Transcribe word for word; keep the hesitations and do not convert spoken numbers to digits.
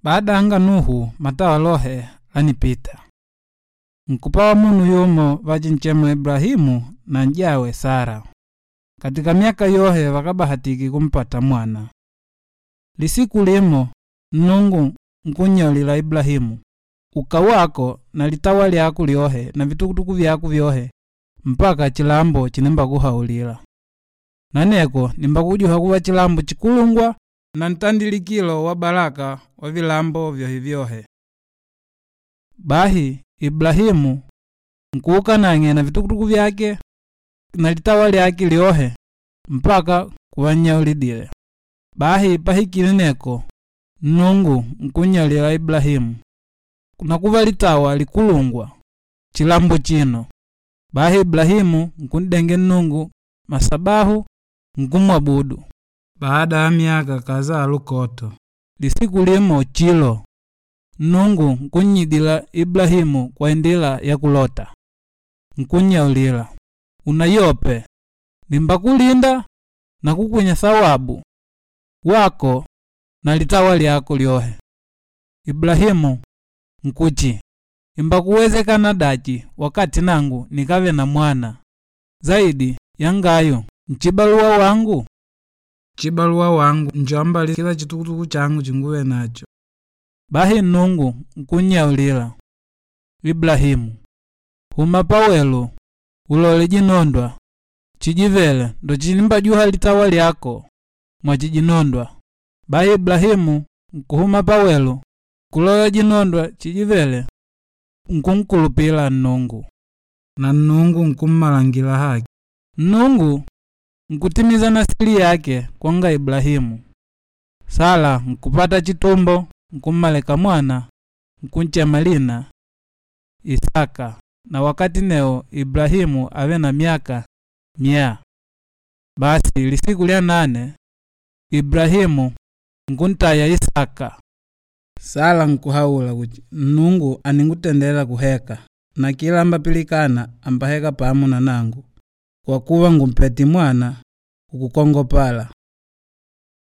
Baada anga Nuhu matawa lohe lanipita. Nkupawa munu yumo vachinchema Ibrahimu na njawe Sara. Katika miaka yohe vakabahatiki kumpata mwana. Lisiku limo Nungu nkunyolila Ibrahimu uka wako na litawa lyako lyohe na vitukutuku vyako vyohe mpaka chilambo chinembakuhaulila. Naneko nimbakujuha kuva chilambo chikulungwa na ntandilikilo wa baraka wa vilambo vyohe vyohe. Bahi Ibrahimu nkuuka nang'e na vitukutuku vyake na litawa lyake lyohe mpaka kuvanyaulidile. Bahi pahikile neko Nungu nkunyolila Ibrahimu nakuva litawa likulungwa chilambo chino. Bahi Ibrahimu nkundenge Nungu masabahu nkumwabudu. Baada ya miaka kazaa lukoto. Lisiku limo chilo Nungu nkunyidila Ibrahimu kwa indila ya kulota. Nkunyaulila unayope nimbakulinda na kukwinya thawabu wako na litawa lyako lyohe. Ibrahimu nkuchi imbakuwezekana dachi wakati nangu nikave na mwana zaidi yangayo nchibaluwa wangu. Chibaluwa wangu njoambali kila chitukutuku changu chinguwe nacho. Bahi Nungu nkunyaulila Ibrahimu huma pawelu ulole jinondwa chijivele ndo chilimbajuha litawa lyako mwachijinondwa. Bahi Ibrahimu nkuhuma pawelu kulola jinondwa chijivele nkunkulupila Nungu na Nungu nkummalangila haki. Nungu nkutimiza nasili yake kwanga Ibrahimu. Sara nkupata chitumbo nkummaleka mwana nkunchema lina Isaka na wakati neo Ibrahimu ave na miaka mia. Basi lisiku lya nane Ibrahimu nkuntaya Isaka. Sara nkuhaula kuti Nungu aningutendela kuheka na kila ambapilikana ambaheka pamu na nangu kwa kuva ngumpeti mwana ukukongopala.